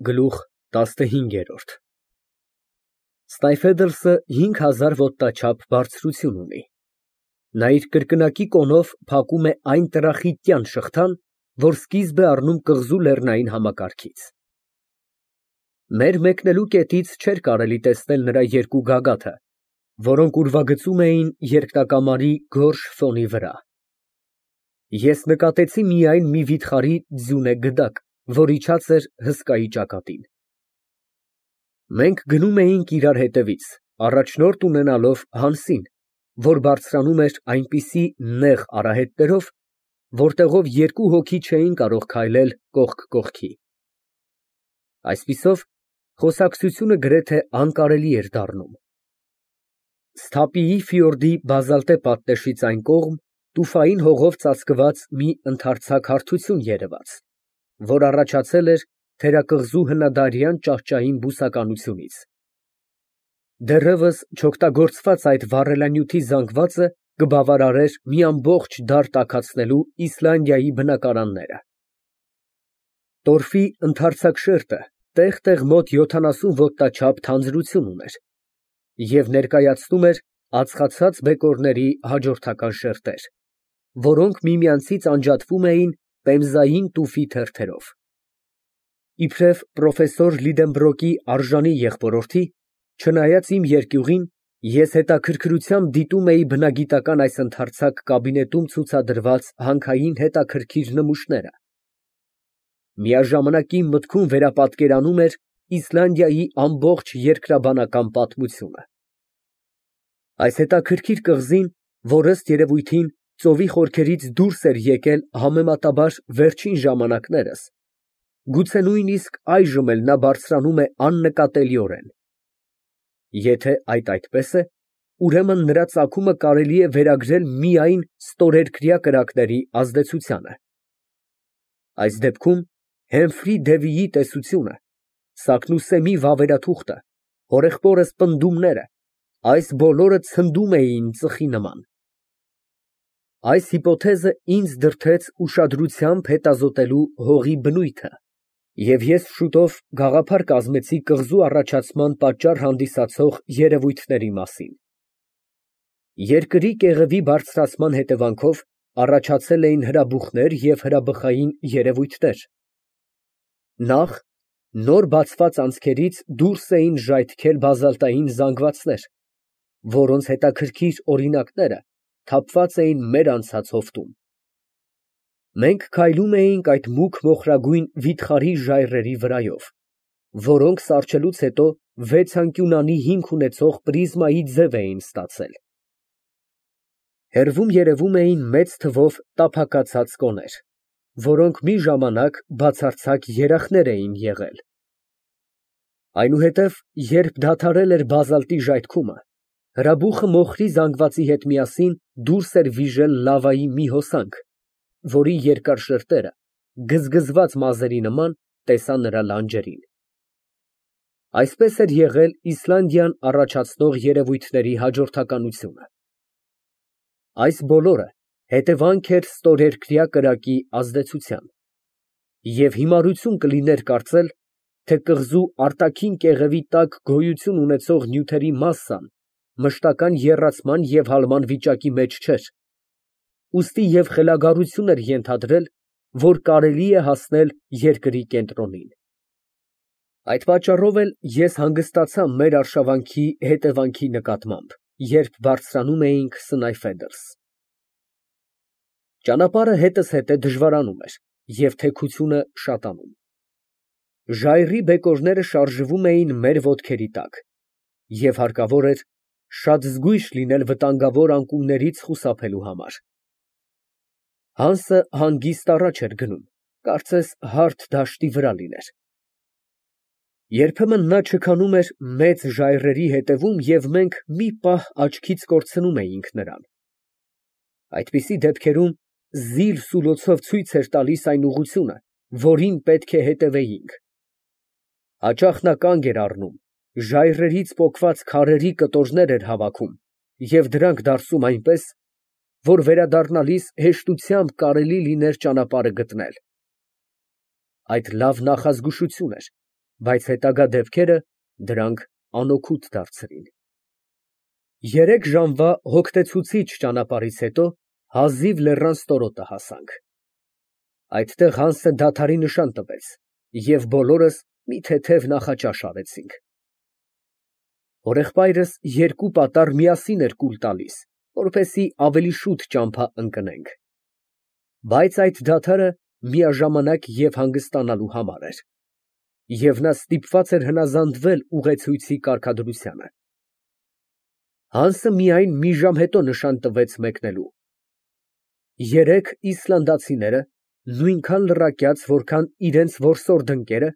Գլուխ ՏԱՍՆՀԻՆԳԵՐՈՐԴ Ստայֆեդլսը 5000 ոտնաչափ բարձրություն ունի։ Նա իր կրկնակի կոնով փակում է այն տրախիտյան շղթան, որ սկիզբ է առնում կղզու լեռնային համակարգից։ Մեր մեկնելու կետից չէր կարելի տեսնել նրա երկու գագաթը, որոնք ուրվագծում էին երկնակամարի գորշ ֆոնի վրա։ Ես նկատեցի միայն մի վիթխարի ձյունե գդակ, որ իջած էր հսկայի ճակատին։ Մենք գնում էինք իրար հետևից, առաջնորդ ունենալով Հանսին, որ բարձրանում էր այնպիսի նեղ արահետներով, որտեղով երկու հոգի չէին կարող քայլել կողք կողքի։ Այսպիսով, խոսակցությունը գրեթե անկարելի էր դառնում։ Սթափիի ֆիորդի բազալտե պատնեշից այն կողմ տուֆային հողով ծածկված մի ընդարձակ հարթություն երևաց, որ առաջացել էր թերակղզու հնադարյան ճահճային բուսականությունից։ Դեռևս չօգտագործված այդ վառելանյութի զանգվածը կբավարարեր մի ամբողջ դար տաքացնելու Իսլանդիայի բնակարանները։ Տորֆի ընդարձակ շերտը տեղ֊տեղ մոտ 70 ոտնաչափ թանձրություն ուներ և ներկայացնում էր ածխացած բեկորների հաջորդական շերտեր, որոնք միմյանցից անջատվում էին պեմզային տուֆի թերթերով։ Իբրև պրոֆեսոր Լիդենբրոկի արժանի եղբորորդի, չնայած իմ երկյուղին, ես հետաքրքրությամբ դիտում էի բնագիտական այս ընդարձակ կաբինետում ցուցադրված հանքային հետաքրքիր նմուշները։ Միաժամանակ իմ մտքում վերապատկերանում էր Իսլանդիայի ամբողջ երկրաբանական պատմությունը։ Այս հետաքրքիր կղզին, որ ըստ երևույթին ծովի խորքերից դուրս էր եկել համեմատաբար վերջին ժամանակներս, գուցե նույնիսկ այժմ էլ նա բարձրանում է աննկատելիորեն։ Եթե այդ այդպես է, ուրեմն նրա ծագումը կարելի է վերագրել միայն ստորերկրյա կրակների ազդեցությանը։ Այս դեպքում Հեմֆրի Դևիի տեսությունը, Սակնուսեմի վավերաթուղթը, հորեղբորս պնդումները, այս բոլորը ցնդում էին ծխի նման։ Այս հիպոթեզը ինձ դրդեց ուշադրությամբ հետազոտելու հողի բնույթը, և ես շուտով գաղափար կազմեցի կղզու առաջացման պատճառ հանդիսացող երևույթների մասին։ Երկրի կեղևի բարձրացման հետևանքով առաջացել էին հրաբուխներ և հրաբխային երևույթներ։ Նախ, նոր բացված անցքերից դուրս էին ժայթքել բազալտային զանգվածներ, որոնց հետաքրքիր օրինակները թափված էին մեր անցած հովտում։ Մենք քայլում էինք այդ մուգ մոխրագույն վիթխարի ժայռերի վրայով, որոնք սառչելուց հետո վեցանկյունանի հիմք ունեցող պրիզմայի ձև էին ստացել։ Հեռվում երևում էին մեծ թվով տափակացած կոներ, որոնք մի ժամանակ բացարձակ երախներ էին եղել։ Այնուհետև, երբ դադարել էր բազալտի ժայթքումը, հրաբուխը մոխրի զանգվածի հետ միասին դուրս էր վիժել լավայի մի հոսանք, որի երկար շերտերը, գզգզված մազերի նման, տեսա նրա լանջերին։ Այսպես էր եղել Իսլանդիան առաջացնող երևույթների հաջորդականությունը։ Այս բոլորը հետևանք էր ստորերկրյա կրակի ազդեցության, և հիմարություն կլիներ կարծել, թե կղզու արտաքին կեղևի տակ գոյություն ունեցող նյութերի մասսան մշտական եռացման և հալման վիճակի մեջ չէր, ուստի և խելագարություն էր ենթադրել, որ կարելի է հասնել երկրի կենտրոնին։ Այդ պատճառով էլ ես հանգստացա մեր արշավանքի հետևանքի նկատմամբ, երբ բարձրանում էինք Սնայֆեդրս։ Ճանապարհը հետզհետե դժվարանում էր և թեքությունը շատանում։ Ժայռի բեկորները շարժվում էին մեր ոտքերի տակ, և հարկավոր էր շատ զգույշ լինել վտանգավոր անկյուններից խուսափելու համար։ Հանսը հանգիստ առաջ էր գնում, կարծես հարթ դաշտի վրա լիներ։ Երբեմն նա չքանում էր մեծ ժայռերի հետևում, և մենք մի պահ աչքից կորցնում էինք նրան։ Այդպիսի դեպքերում զիլ֊սուլոցով ցույց էր տալիս այն ուղղությունը, որին պետք է հետևեինք։ Հաճախ նա կանգ էր առնում, ժայռերից պոկված քարերի կտորներ էր հավաքում և դրանք դարսում այնպես, որ վերադառնալիս հեշտությամբ կարելի լիներ ճանապարհը գտնել։ Այդ լավ նախազգուշություն էր, բայց հետագա դեպքերը դրանք անօգուտ դարձրին։ 3 ժամվա հոգնեցուցիչ ճանապարհից հետո հազիվ լեռան ստորոտը հասանք։ Այդտեղ Հանսը դադարի նշան տվեց, և բոլորս մի թեթև նախաճաշ արեցինք։ Հորեղբայրս 2 պատառ միասին էր կուլ տալիս, որպեսզի ավելի շուտ ճամփա ընկնենք։ Բայց այդ դադարը միաժամանակ և հանգստանալու համար էր, և նա ստիպված էր հնազանդվել ուղեցույցի կարգադրությանը։ Հանսը միայն մի ժամ հետո նշան տվեց մեկնելու։ 3 իսլանդացիները, նույնքան լռակյաց, որքան իրենց որսորդ ընկերը,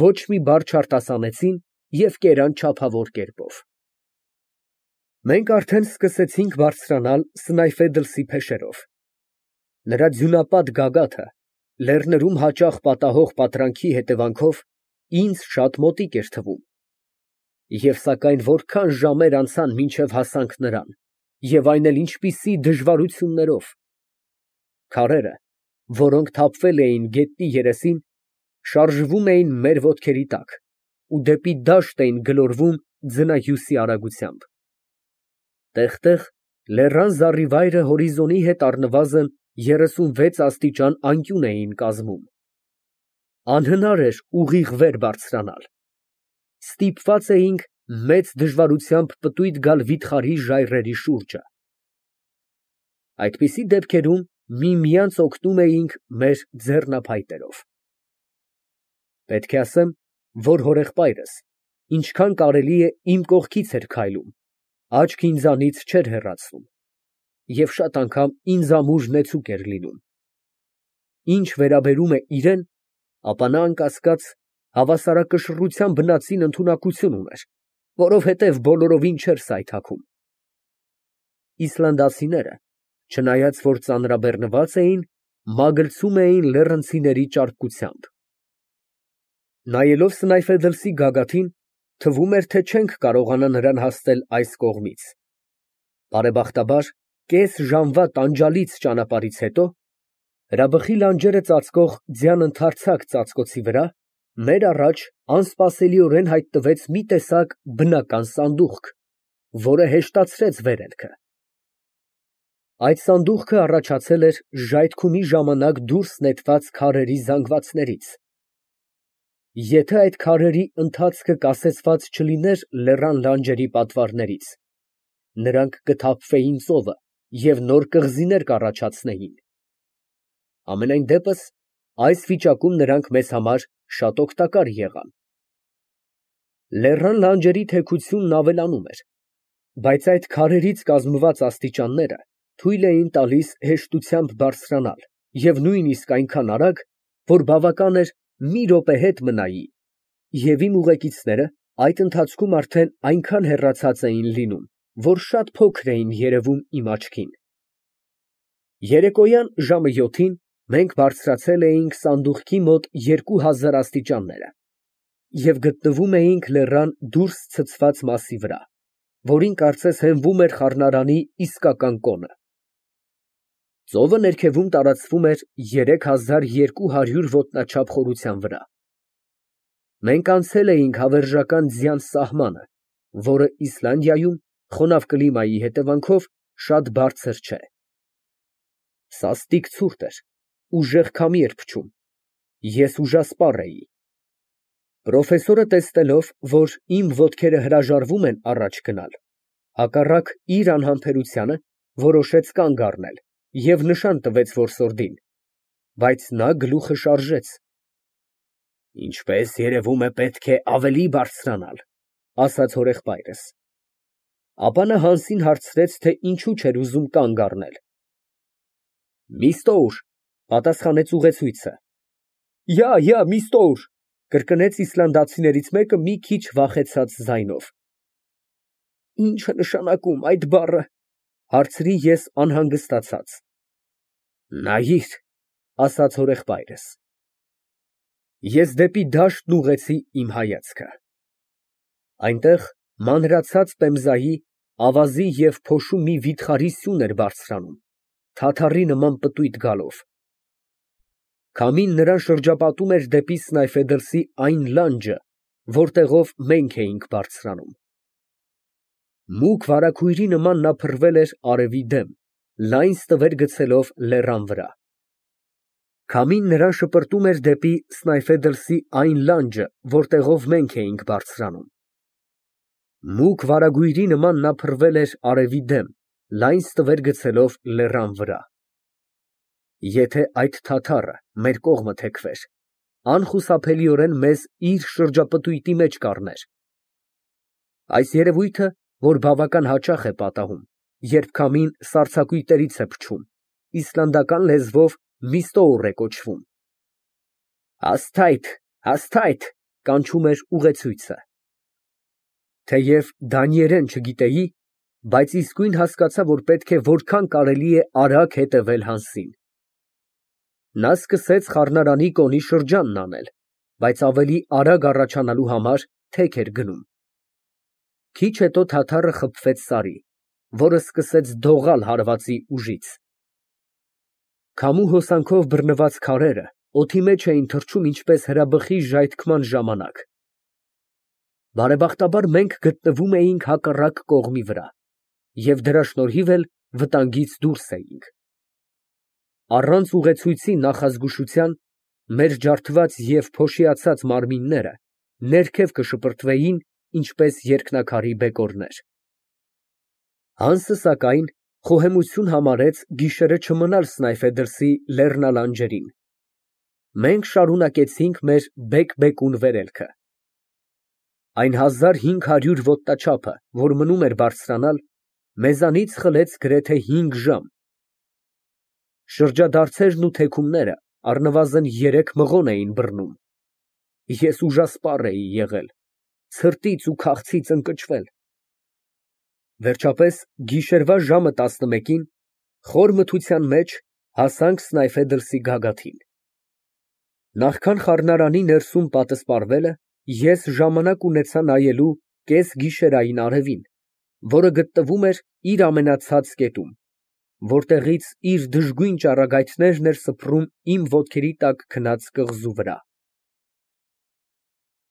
ոչ մի բառ չարտասանեցին և կերան չափավոր կերպով։ Մենք արդեն սկսեցինք բարձրանալ Սնայֆեդլսի փեշերով։ Նրա ձյունապատ գագաթը լեռներում հաճախ պատահող պատրանքի հետևանքով ինձ շատ մոտիկ էր թվում։ Եվ սակայն որքան ժամեր անցան, մինչև հասանք նրան, և այն էլ ինչպիսի դժվարություններով։ Քարերը, որոնք թափվել էին գետնի երեսին, շարժվում էին մեր ոտքերի տակ ու դեպի դաշտ էին գլորվում ձնահյուսի արագությամբ։ Տեղ֊տեղ լեռան զառիվայրը հորիզոնի հետ առնվազն 36 աստիճան անկյուն էին կազմում։ Անհնար էր ուղիղ վեր բարձրանալ։ Ստիպված էինք մեծ դժվարությամբ պտույտ գալ վիթխարի ժայռերի շուրջը։ Այդպիսի դեպքերում միմյանց օգնում էինք մեր ձեռնափայտերով։ Պետք է ասեմ, որ հորեղբայրս ինչքան կարելի է իմ կողքից էր քայլում, աչք ինձանից չէր հեռացնում և շատ անգամ ինձ ամուր նեցուկ էր լինում։ Ինչ վերաբերում է իրեն, ապա նա անկասկած հավասարակշռության բնածին ընդունակություն ուներ, որովհետև բոլորովին չէր սայթաքում։ Իսլանդացիները, չնայած որ ծանրաբեռնված էին, մագլցում էին լեռնցիների ճարպկությամբ։ Նայելով Սնայֆեդլսի գագաթին, թվում էր, թե չենք կարողանա նրան հասնել այս կողմից։ Բարեբախտաբար, կես ժամվա տանջալից ճանապարհից հետո, հրաբխի լանջերը ծածկող ձյան ընդարձակ ծածկոցի վրա, մեր առաջ անսպասելիորեն հայտնվեց մի տեսակ բնական սանդուղք, որը հեշտացրեց վերելքը։ Այդ սանդուղքը առաջացել էր ժայթքումի ժամանակ դուրս նետված քարերի զանգվածներից։ Եթե այդ քարերի ընթացքը կասեցված չլիներ լեռան լանջերի պատվարներից, նրանք կթափվեին ծովը և նոր կղզիներ կառաջացնեին։ Համենայն դեպս, այս վիճակում նրանք մեզ համար շատ օգտակար եղան։ Լեռան լանջերի թեքությունն ավելանում էր, բայց այդ քարերից կազմված աստիճանները թույլ էին տալիս հեշտությամբ բարձրանալ և նույնիսկ այնքան արագ, որ բավական էր մի րոպե հետ մնայի, և իմ ուղեկիցները այդ ընթացքում արդեն այնքան հեռացած էին լինում, որ շատ փոքր էին երևում իմ աչքին։ Երեկոյան ժամը 7-ին մենք բարձրացել էինք սանդուղքի մոտ 2000 աստիճանները և գտնվում էինք լեռան դուրս ցցված մասի վրա, որին կարծես հենվում էր խառնարանի իսկական կոնը։ Ծովը ներքևում տարածվում էր 3200 ոտնաչափ խորության վրա։ Մենք անցել էինք հավերժական ձյան սահմանը, որը Իսլանդիայում խոնավ կլիմայի հետևանքով շատ բարձր չէ։ Սաստիկ ցուրտ էր, ուժեղ քամի էր փչում, ես ուժասպառ էի։ Պրոֆեսորը տեսնելով, որ իմ ոտքերը հրաժարվում են առաջ գնալ, հակառակ իր անհամբերությանը, որոշեց կանգ առնել և նշան տվեց որսորդին, բայց նա գլուխը շարժեց։ «Ինչպես երևում է, պետք է ավելի բարձրանալ», ֊ ասաց հորեղբայրս։ Ապա նա Հանսին հարցրեց, թե ինչու չէր ուզում կանգ առնել։ «Միստ օուր», ֊ պատասխանեց ուղեցույցը։ «Յա, Միստ օուր», ֊ կրկնեց իսլանդացիներից մեկը մի քիչ վախեցած ձայնով։ «Ի՞նչ է նշանակում այդ բառը, ֊ հարցրի ես անհանգստացած։ ֊ Նայիր, ֊ ասաց հորեղբայրս։ Ես դեպի դաշտն ուղղեցի իմ հայացքը։ Այնտեղ մանրացած պեմզայի, ավազի և փոշու մի վիթխարի սյուն էր բարձրանում, թաթառի նման պտույտ գալով։ Քամին նրան շրջապատում էր դեպի Սնայֆեդլսի այն լանջը, որտեղով մենք էինք բարձրանում։ Մուգ վարագույրի նման նա փռվել էր արևի դեմ, լայն ստվեր գցելով լեռան վրա։ Քամին նրան շպրտում էր դեպի Սնայֆեդլսի այն լանջը, որտեղով մենք էինք բարձրանում։ Մուգ վարագույրի նման նա փռվել էր արևի դեմ, լայն ստվեր գցելով լեռան վրա։ Եթե այդ թաթառը մեր կողմը թեքվեր, անխուսափելիորեն մեզ իր շրջապտույտի մեջ կառներ։ Այս երևույթը, որ բավական հաճախ է պատահում, երբ քամին սառցակույտերից է փչում, իսլանդական լեզվով միստոուռ է կոչվում։ Հասթայթ, հասթայթ, կանչում էր ուղեցույցը։ Թեև դանիերեն չգիտեի, բայց իսկույն հասկացա, որ պետք է որքան կարելի է արագ հետևել Հանսին։ Նա սկսեց խառնարանի կոնի շրջանն անել, բայց ավելի արագ առաջանալու համար թեք էր գնում։ Քիչ հետո թաթառը խփվեց սարի, որը սկսեց դողալ հարվածի ուժից։ Քամու հոսանքով բռնված քարերը օդի մեջ էին թռչում ինչպես հրաբխի ժայթքման ժամանակ։ Բարեբախտաբար մենք գտնվում էինք հակառակ կողմի վրա և դրա շնորհիվ էլ վտանգից դուրս էինք։ Առանց ուղեցույցի նախազգուշության մեր ջարդված և փոշիացած մարմինները ներքև կշպրտվեին, ինչպես երկնաքարի բեկորներ։ Հանսը, սակայն, խոհեմություն համարեց գիշերը չմնալ Սնայֆեդլսի լեռնալանջերին։ Մենք շարունակեցինք մեր բեկ֊բեկուն վերելքը։ Այն 1500 ոտնաչափը, որ մնում էր բարձրանալ, մեզանից խլեց գրեթե 5 ժամ։ Շրջադարձերն ու թեքումները առնվազն 3 մղոն էին բռնում։ Ես ուժասպառ էի եղել, ցրտից ու քաղցից ընկճվել։ Վերջապես, գիշերվա ժամը 11-ին, խոր մթության մեջ հասանք Սնայֆեդլսի գագաթին։ Նախքան խառնարանի ներսում պատսպարվելը, ես ժամանակ ունեցա նայելու կեսգիշերային արևին, որը գտնվում էր իր ամենացած կետում, որտեղից իր դժգույն ճառագայթներն էր սփռում իմ ոտքերի տակ քնած կղզու վրա։